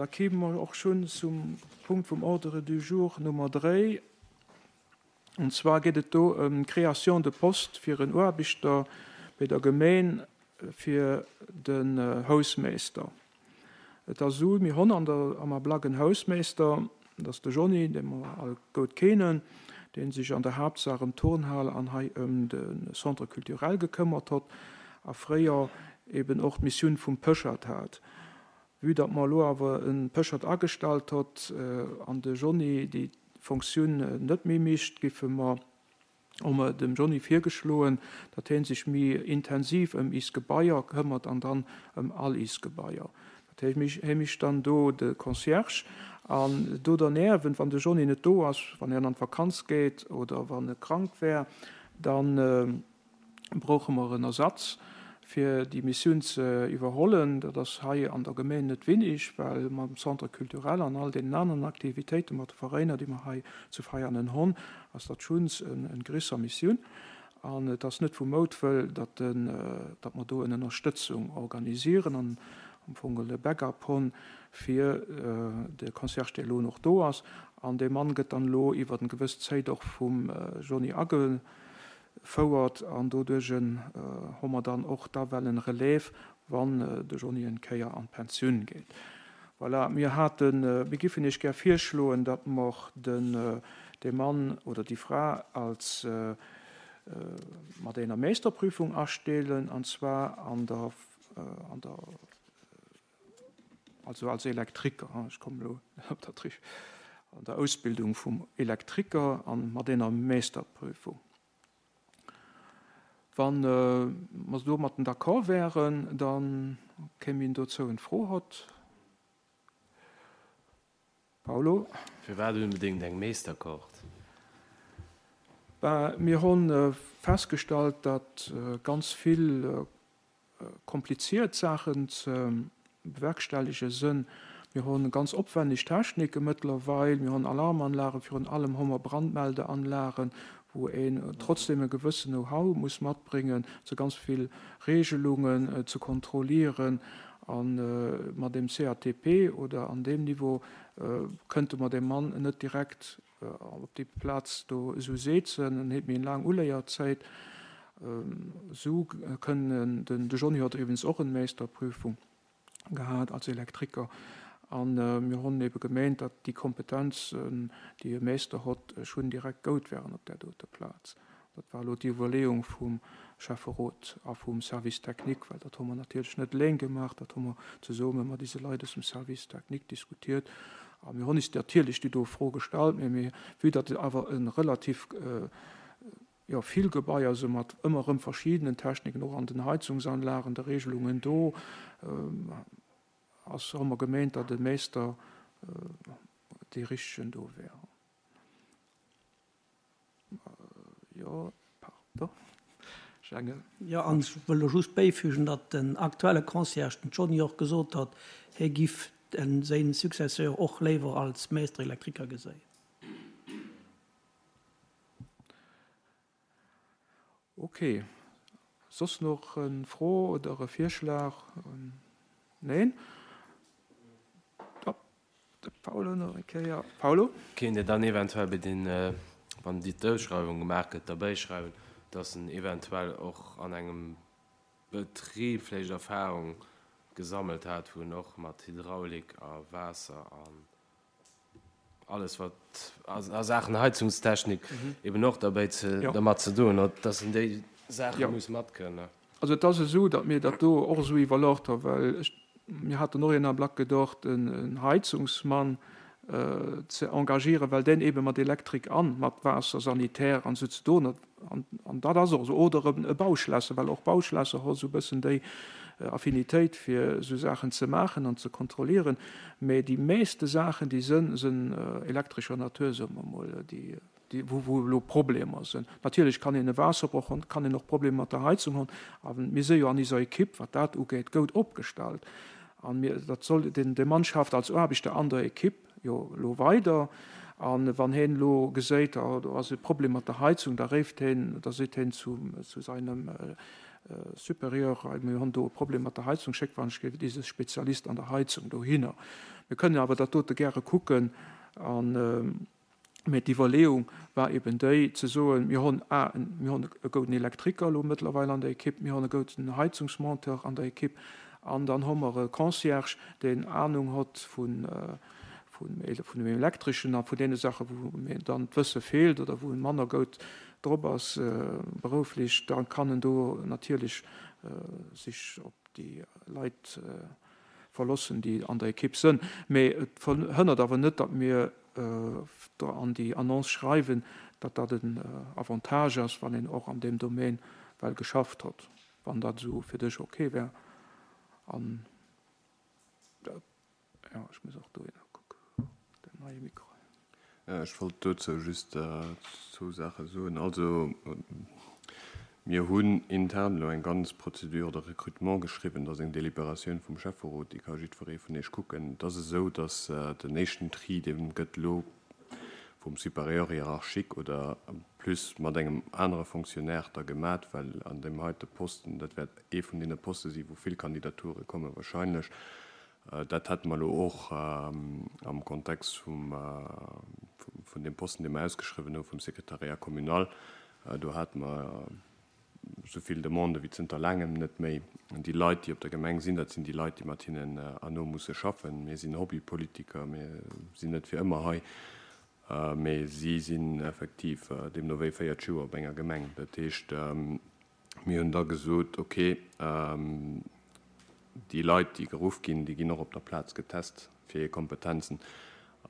da kéime mer och schonn zum Punkt vum Ordre du jour Nummer 3. An zwar geet et do ëm d'Création de poste fir en Aarbechter bei der Gemeen fir den Hausmeester. Et ass esou, mir honn an der am Ablack en Hausmeester, dat ass de Johny, dee mer all goud keenen, dee sech an der Haaptsaach ëm d'Turnhal an hei ëm de Centre culturel gekëmmert hott a fréier eben och d'Missioun vum Pëschert hat. Vue datt mer elo awer e Pëschert agestallt hott an de Johny déi Fonctioun net méi micht, giffe mer hu mer dem Johny virgeschloen, datt hien sech méi intensiv ëm is Gebaier këmmert an dann ëm all is Gebaier. Dat heescht, hie micht dann do de Concierge an do derniewent, wann de Johny net do ass, wann hien an d'Vakanz geet oder wann e krank wär, dann brauche mer en Ersatz, fir déi Missioun ze iwwerhollen. Dat ass hei an der Gemeng net winnig, well mam Centre culturel an all deenen aneren Aktivitéite mat de Veräiner, déi mer hei zu Veianen honn, ass dat schuns en grisser Missioun. An et ass net vu Moutwëll, datt datt mer do en Ënnerstëtzung organisieren an am Fong e Backup honn fir de Concierge, dee elo och do ass. An dee Mann gëtt dann elo iwwer en gewëss Zéit och vum Johny age Fouert an doduerch hu mer dann och da well en Relève, wann de Johny en Kéier an d'Pensioun geet. Voilà, mir haten, mir giffen Iech gär virschloen, datt mer den, dee Mann oder déi Fra als mat einer Meisterprüfung astellen, an zwar an der, an der, also als Elektriker, ech kommen elo op dat richt, an der Ausbildung vum Elektriker an mat einer Meisterprüfung. Wann mer domatten d'accord wären, da kéim een dozou en Fro hott. Paulo. Firwat onbedéngt eng Meesterkort? Ben, mir honn festgestallt, datt ganz vill kompliziert Saachen ze bewerkstellige sënn. Mir hunn ganz opwenneg Technike mëttlerweil, mir hunn Alarmanlagen, virun allem hu mer Brandmeldeanlagen, wou een trotzdem e gewëssen Know-how muss matbréngen, se ganz vill Regelungen ze kontrollieren. A mat dem CATP oder an deem Niveau kënnte mer deem Mann net direkt Op déi Plaz do esou seetzen, en huet méi eng laang Uléierzäit. Esou kënnen den, de Johny huet iwwregens och en Meisterprüfung gehat als Elektriker, an mir honn ebe gemeent, datt déi Kompetenzen, déi e Meister hott, schonn direkt goud wären op där dote Plaz. Dat war elo d'Iwwerleeung vum Schäfferot a vum Service technique, well dat hu mer natierlech net eleng gemaach, dat hu mer zesumme mat ise Leit aus dem Service technique diskutiert. A mir hunn is natierlech déi do Fro gestallt, mä mir, vue datt et awer e relativ, jo, vill Gebaier si mat ëmmer erëm verschidenen Techniken, och an den Heizungsanlagen, de Regelungen do, ass, hu mer gemeent, datt e Meister dee richtegen do wär. Jo, pardon, ech engen. Jo, an ech wëll do just bäifügen, datt den aktuelle Concierge, den Johny, och gesot huet, hie giff séin Successeur och léiwer als Maître électriker geséien. Ok. Soss nach en Fro oder e Virschlag? Neen? De Paulo nach eng Kéier. Paulo? Kéint Dir dann eventuell bei den, wann déi d'Ausschreiwung gemaach gëtt, derbäischreiwen, dass en eventuell och an engem Betrib vläicht Erfahrung gesammelt hat, wou en och mat Hydraulik a Waasser an alles wat a Saachen Heizungstechnik eben och derbäi ze, dermat ze doen huet, dass en déi Saache muss matkënnen? Also et ass esou, datt mir dat do och esou iwwerlocht hu well ech, mir haten och een Ablack gedocht, en Heizungsmann ze engagieren, well deen eebe mat Elektrik an mat Waasser, Sanitär an esou ze doen huet. An dat ass och esou. Oder e Bauschlässer, well och Bauschlässer hu sou e bëssen déi Affinitéit fir esou Saachen ze maachen an ze kontrollieren. Mä déi meeste Saachen, déi sënn, sënn elektrescher Natur, soe mer emol, déi wou wou elo Problemer sinn. Natierlech kann een e Waasserbroch hunn, kann een och Problemer mat der Heizung hunn, a mir si jo an iser Ekipp, wat dat ugeet, goud opgestallt. A mir, dat soll, deen dee Mann schafft als Aarbechter an der Ekipp jo elo weider, a wann heen elo geséit, oh do ass e Problem mat der Heizung, da réift heen, da seet heen zu zu seinem. Supérieur, hei mir hunn do e Problem mat der Heizung, schéckt wann ech géif dise Spezialist an der Heizung dohinner. Mir kënnen awer dat dote gäre kucken an, Mä d'Iwwerleeung war eben déi, ze soen, mir hunn a, mir hunn e gouden Elektriker elo mëttlerweil an der Ekipp, mir hunn e gouden Heizungsmonteur an der Ekipp an dann hu mer e Concierge, deen Anung hott vun, vun dem Elektreschen a vun deene Saachen, wou mir dann d'Wësse feelt oder wou e manner goud drop ass berouflech, da kann en do natierlech sech op déi Leit verlossen, déi an der Ekipp sënn. Mee et verhënnert awer net, datt mir an déi Annonce schreiwen, datt dat en Avantage ass, wann een och an deem Domaine well geschafft hott, wann dat esou fir dech ok wär. An, jo, ech muss och dohinner kucken, den neie Mikro. Ech wollt dozou just zwou Saache soen. Also, mir hunn intern elo eng ganz Procédure de recrutement geschriwwen. Dat ass eng Deliberatioun vum Schäfferot, déi ka jiddweree vun Iech kucken. Et ass esou, datt den éischten Tri, dee gëtt elo vum Supérieur hiérarchique oder plus mat engem anere Fonctionnaire da gemat, well an deem heite Posten, dat wäert ee vun deene Poste sinn, wou vill Kandidature komme wahrscheinlech, Dat hate mer elo och am Kontext vum, vun deem Posten, dee mer ausgeschriwwen hu vum Secrétariat communal. Do hate mer esou vill Demandë wéi zënter laangem net méi. Déi Leit, déi op der Gemeng sinn, dat sinn déi Leit, déi mat hinnen herno musse schaffen. Mir sinn Hobbypolitiker, mir sinn net fir ëmmer hei, mee si sinn effektiv deemno wéi 40 Joer op enger Gemeng. Dat heescht, Mir hunn da gesot, ok, déi Leit, déi geruff ginn, déi ginn och op der Plaz getest fir hir Kompetenzen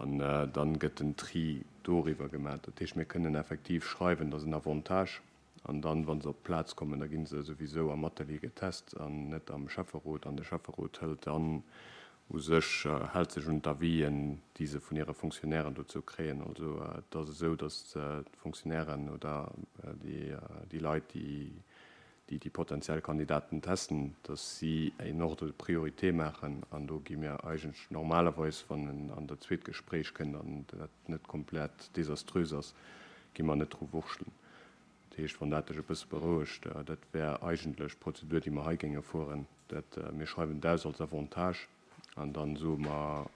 an dann gëtt den Tri doriwwer gemaach. Dat heescht, mir kënnen effektiv schreiwen, dat ass en Avantage an dann, wa se op d'Plaz kommen, da gi se souwisou am Atelier getest an net am Schäfferot an de Schäfferot hëlt dann u sech hält sech un d'Avisen, déi se vun hire Fonctionnairen dozou kréien. Also et ass esou, datt d'Fonctionnairen oder déi Leit, déi déi potentiell Kandidaten testen, datt si en Ordre de priorité maachen. An do gi mir eigentlech normalerweis, wann en an dat zweet Gespréich kënnt an dat net komplett desaströs ass, gi mer net dru wurschtelen. Dat heescht, wann dat dech e bësse berouegt, dat wär eigentlech d'Prozedur, déi mer hei géinge fueren. Dat, mir schreiwen et aus als Avantage an dann soe mer,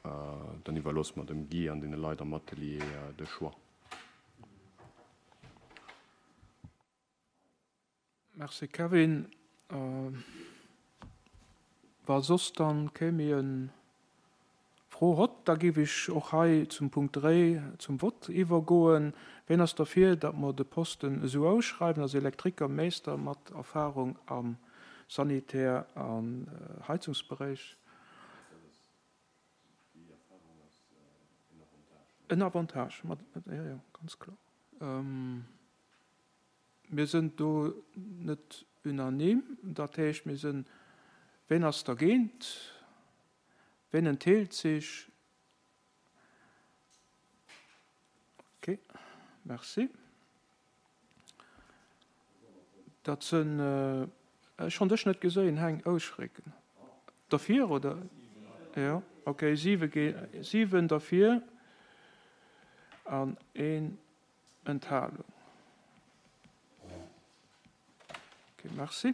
dann iwwerloosse mer dem Guy an deene Leit am Atelier de Choix. Merci Kevin. Wa soss dann kee méi en Fro hott, da géif ech och hei zum Punkt 3 zum Vott iwwergoen. Ween ass derfir, datt mer de Posten esou ausschreiwen, als Elektrikermeester mat Erfahrung am Sanitär an Heizungsberéich? En Avantage, jo, jo, ganz kloer. Mir sënn do net unanime. Dat heescht, mir sënn, ween ass dergéint? Ween entheelt sech? Ok, merci. Dat sënn, ech honn dech net geséien, Heng, Ouschrécken. Derfir, oder? Jo, ok, siwe ge, siwen derfir an een Enthalung. Ok, merci.